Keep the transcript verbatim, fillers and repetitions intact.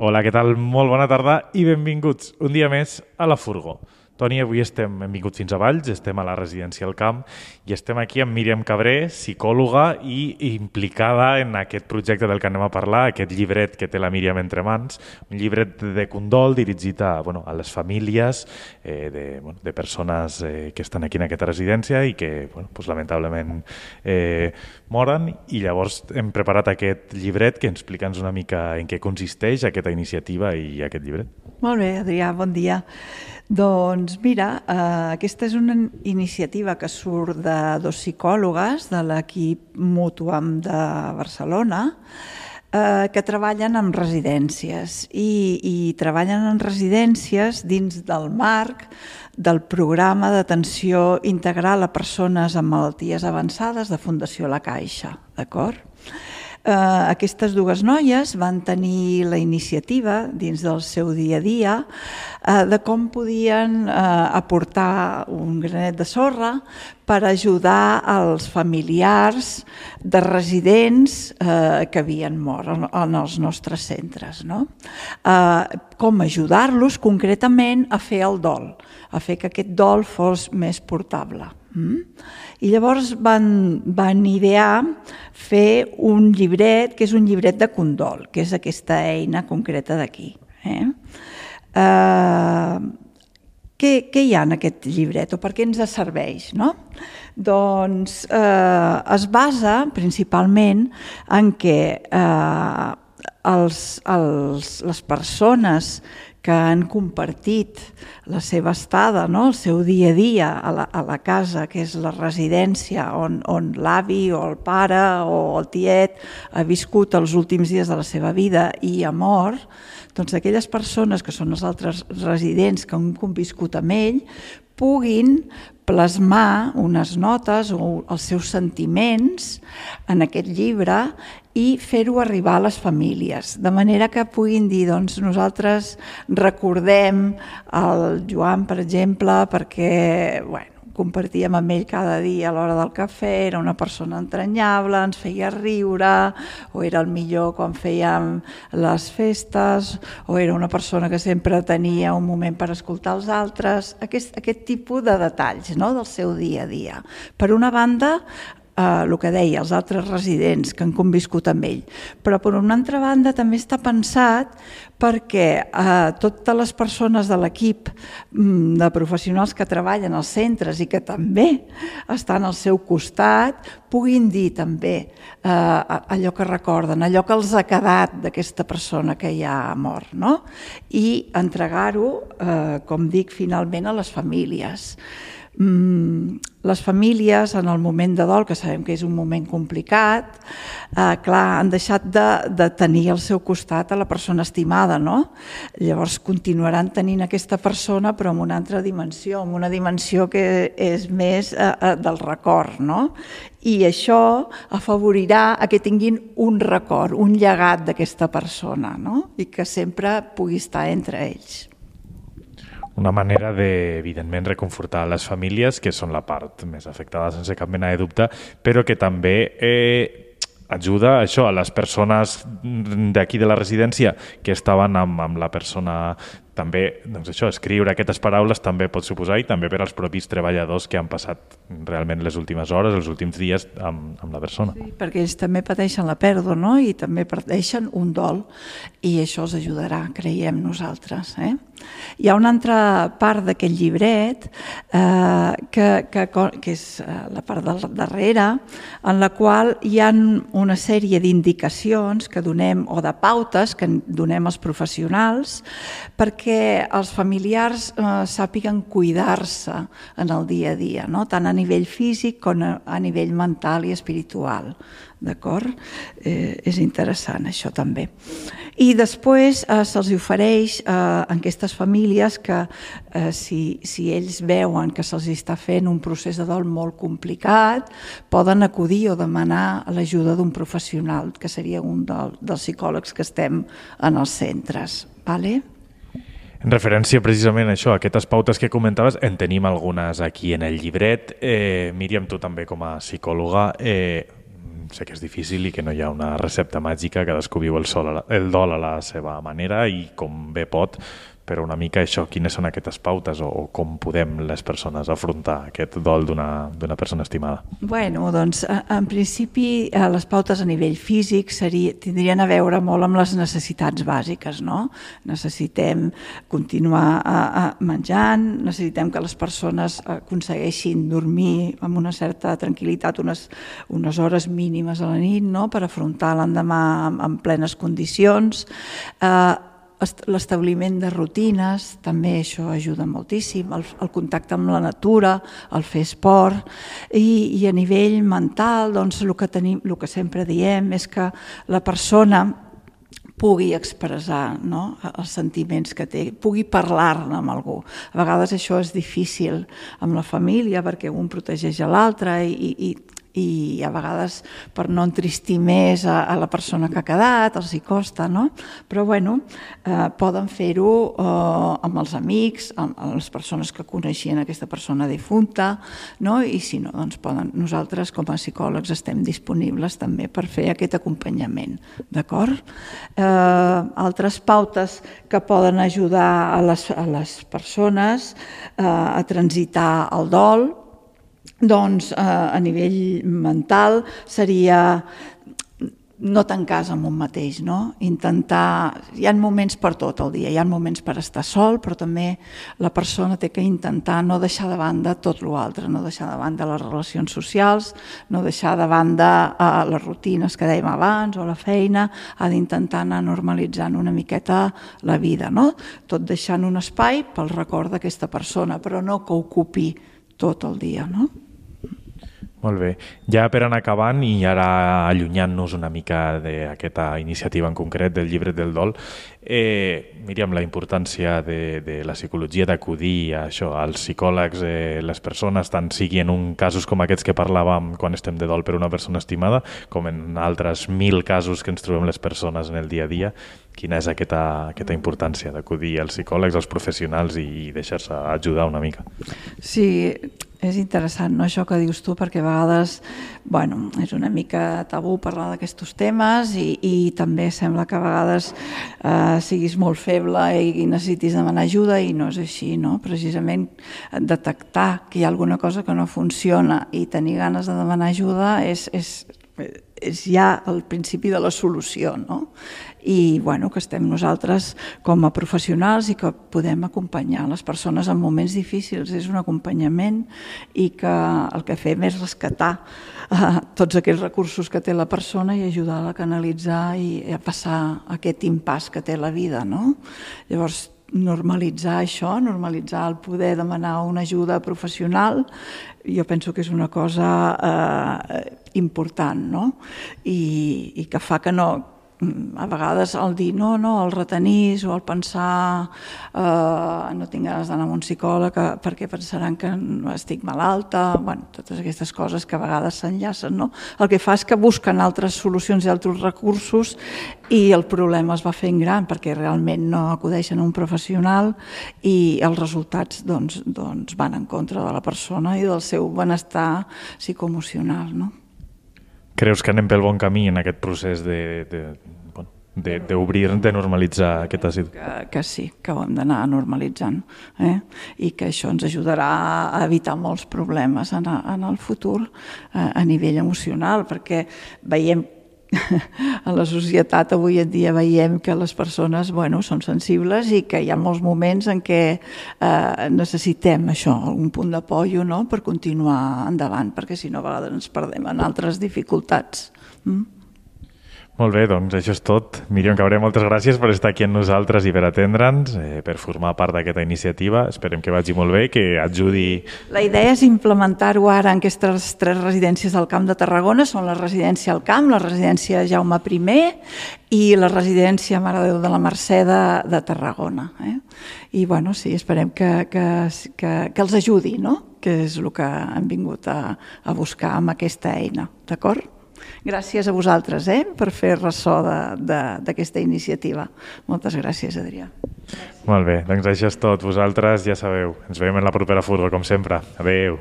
Hola, què tal? Molt bona tarda i benvinguts un dia més a La Furgó. Toni, avui estem, hem vingut fins a Valls, estem a la residència al Camp i estem aquí amb Míriam Cabré, psicòloga i implicada en aquest projecte del que anem a parlar, aquest llibret que té la Míriam entre mans, un llibret de condol dirigit a, bueno, a les famílies eh, de, bueno, de persones eh, que estan aquí en aquesta residència i que bueno, pues, lamentablement eh, moren, i llavors hem preparat aquest llibret que ens explica una mica en què consisteix aquesta iniciativa i aquest llibret. Molt bé, Adrià, bon dia. Doncs mira, eh, aquesta és una iniciativa que surt de dos psicòlogues de l'equip Mútuam de Barcelona eh, que treballen en residències i, i treballen en residències dins del marc del programa d'atenció integral a persones amb malalties avançades de Fundació La Caixa, d'acord? Uh, aquestes dues noies van tenir la iniciativa dins del seu dia a dia uh, de com podien uh, aportar un granet de sorra per ajudar els familiars de residents uh, que havien mort en, en els nostres centres, no? Uh, com ajudar-los concretament a fer el dol, a fer que aquest dol fos més portable. Mm? I llavors van, van idear fer un llibret, que és un llibret de condol, que és aquesta eina concreta d'aquí. Eh? Uh, què, què hi ha en aquest llibret o per què ens serveix? No? Doncs eh, es basa principalment en què eh, els, els, les persones que han compartit la seva estada, no? El seu dia a dia a la, a la casa, que és la residència on, on l'avi o el pare o el tiet ha viscut els últims dies de la seva vida i ha mort, doncs aquelles persones que són els altres residents que han conviscut amb ell puguin plasmar unes notes o els seus sentiments en aquest llibre i fer-ho arribar a les famílies, de manera que puguin dir, doncs nosaltres recordem el Joan, per exemple, perquè bueno, compartíem amb ell cada dia a l'hora del cafè, era una persona entranyable, ens feia riure, o era el millor quan fèiem les festes, o era una persona que sempre tenia un moment per escoltar els altres, aquest, aquest tipus de detalls, no?, del seu dia a dia. Per una banda, Uh, el que deia, els altres residents que han conviscut amb ell. Però per una altra banda també està pensat perquè uh, totes les persones de l'equip um, de professionals que treballen als centres i que també estan al seu costat puguin dir també uh, allò que recorden, allò que els ha quedat d'aquesta persona que ja ha mort, no? I entregar-ho, uh, com dic, finalment a les famílies. Mm, les famílies en el moment de dol, que sabem que és un moment complicat, eh, clar, han deixat de, de tenir al seu costat a la persona estimada, no? Llavors continuaran tenint aquesta persona però en una altra dimensió, en una dimensió que és més eh, eh, del record, no? I això afavorirà a que tinguin un record, un llegat d'aquesta persona, no? I que sempre pugui estar entre ells. Una manera de, evidentment, reconfortar les famílies, que són la part més afectada sense cap mena de dubte, però que també eh, ajuda això, a les persones d'aquí de la residència que estaven amb, amb la persona. També, doncs això, escriure aquestes paraules també pot suposar, i també per als propis treballadors que han passat realment les últimes hores, els últims dies amb, amb la persona. Sí, perquè ells també pateixen la pèrdua, no? I també pateixen un dol, i això els ajudarà, creiem nosaltres. Eh? Hi ha una altra part d'aquest llibret, eh, que, que, que és la part del darrere, en la qual hi ha una sèrie d'indicacions que donem, o de pautes que donem als professionals, perquè que els familiars eh, sàpiguen cuidar-se en el dia a dia, no? Tant a nivell físic com a, a nivell mental i espiritual. D'acord? Eh, és interessant això també. I després eh, se'ls ofereix eh, a aquestes famílies que eh, si, si ells veuen que se'ls està fent un procés de dol molt complicat, poden acudir o demanar l'ajuda d'un professional, que seria un del, dels psicòlegs que estem en els centres. Vale? En referència precisament a això, a aquestes pautes que comentaves, en tenim algunes aquí en el llibret. Eh, Míriam, tu també com a psicòloga, eh, sé que és difícil i que no hi ha una recepta màgica, cadascú viu el, sol, el dol a la seva manera i com bé pot, però una mica això, quines són aquestes pautes o, o com podem les persones afrontar aquest dol d'una d'una persona estimada? Bueno, doncs, en principi, les pautes a nivell físic seria, tindrien a veure molt amb les necessitats bàsiques, no? Necessitem continuar a, a menjant, necessitem que les persones aconsegueixin dormir amb una certa tranquil·litat unes, unes hores mínimes a la nit, no?, per afrontar l'endemà en, en plenes condicions. Eh, L'establiment de rutines, també això ajuda moltíssim, el, el contacte amb la natura, el fer esport, i, i a nivell mental, doncs, el que tenim, el que sempre diem és que la persona pugui expressar, no?, els sentiments que té, pugui parlar-ne amb algú. A vegades això és difícil amb la família perquè un protegeix a l'altre i, i i a vegades per no entristir més a, a la persona que ha quedat, els hi costa, no? Però bueno, eh, poden fer-ho eh, amb els amics, amb, amb les persones que coneixien aquesta persona difunta, no? I si no, doncs poden, nosaltres com a psicòlegs estem disponibles també per fer aquest acompanyament, d'acord? Eh, altres pautes que poden ajudar a les, a les persones eh, a transitar el dol, doncs eh, a nivell mental seria no tancar-se amb un mateix, no? Intentar... Hi ha moments per tot el dia, hi ha moments per estar sol, però també la persona té que intentar no deixar de banda tot l'altre, no deixar de banda les relacions socials, no deixar de banda eh, les rutines que dèiem abans o la feina, ha d'intentar anar normalitzant una miqueta la vida, no? Tot deixant un espai pel record d'aquesta persona, però no que ocupi tot el dia, no? Molt bé. Ja per anar acabant i ara allunyant-nos una mica d'aquesta iniciativa en concret del llibre del dol, eh, Míriam, la importància de, de la psicologia d'acudir a això, als psicòlegs, eh, les persones, tant sigui en un casos com aquests que parlàvem quan estem de dol per una persona estimada, com en altres mil casos que ens trobem les persones en el dia a dia, quina és aquesta, aquesta importància d'acudir als psicòlegs, als professionals i deixar-se ajudar una mica? Sí, és interessant, no, això que dius tu, perquè a vegades, bueno, és una mica tabú parlar d'aquests temes i, i també sembla que a vegades eh, siguis molt feble i, i necessitis demanar ajuda i no és així, no? Precisament detectar que hi ha alguna cosa que no funciona i tenir ganes de demanar ajuda és, és, és ja el principi de la solució, no? I bueno, que estem nosaltres com a professionals i que podem acompanyar les persones en moments difícils, és un acompanyament i que el que fem és rescatar eh, tots aquells recursos que té la persona i ajudar-la a canalitzar i a passar aquest impàs que té la vida, no? Llavors, normalitzar això, normalitzar el poder demanar una ajuda professional, jo penso que és una cosa eh, important, no? I, i que fa que no... a vegades el dir no, no, el retenir o el pensar eh, no tinc ganes d'anar a un psicòleg perquè pensaran que estic malalta, bueno, totes aquestes coses que a vegades s'enllacen, no? El que fa és que busquen altres solucions i altres recursos i el problema es va fent gran perquè realment no acudeixen a un professional i els resultats doncs, doncs van en contra de la persona i del seu benestar psicoemocional, no? Creus que anem pel bon camí en aquest procés de, de, de, d'obrir, de normalitzar aquesta situació? Que, que sí, que ho hem d'anar normalitzant, eh? I que això ens ajudarà a evitar molts problemes en, en el futur eh, a nivell emocional, perquè veiem en la societat avui en dia veiem que les persones bueno, són sensibles i que hi ha molts moments en què eh, necessitem això, algun punt d'apoyo, no?, per continuar endavant, perquè si no a vegades ens perdem en altres dificultats. Mm? Molt bé, doncs això és tot. Míriam Cabré, moltes gràcies per estar aquí amb nosaltres i per atendre'ns, eh, per formar part d'aquesta iniciativa. Esperem que vagi molt bé, que ajudi... La idea és implementar-ho ara en aquestes tres residències del Camp de Tarragona. Són la residència al Camp, la residència Jaume primer i la residència Mare de Déu de la Mercè de, de Tarragona. Eh? I bueno, sí, esperem que, que, que, que els ajudi, no?, que és el que hem vingut a, a buscar amb aquesta eina. D'acord? Gràcies a vosaltres eh, per fer ressò d'aquesta iniciativa. Moltes gràcies, Adrià. Molt bé, doncs això és tot. Vosaltres ja sabeu, ens veiem en la propera furgo, com sempre. Adéu.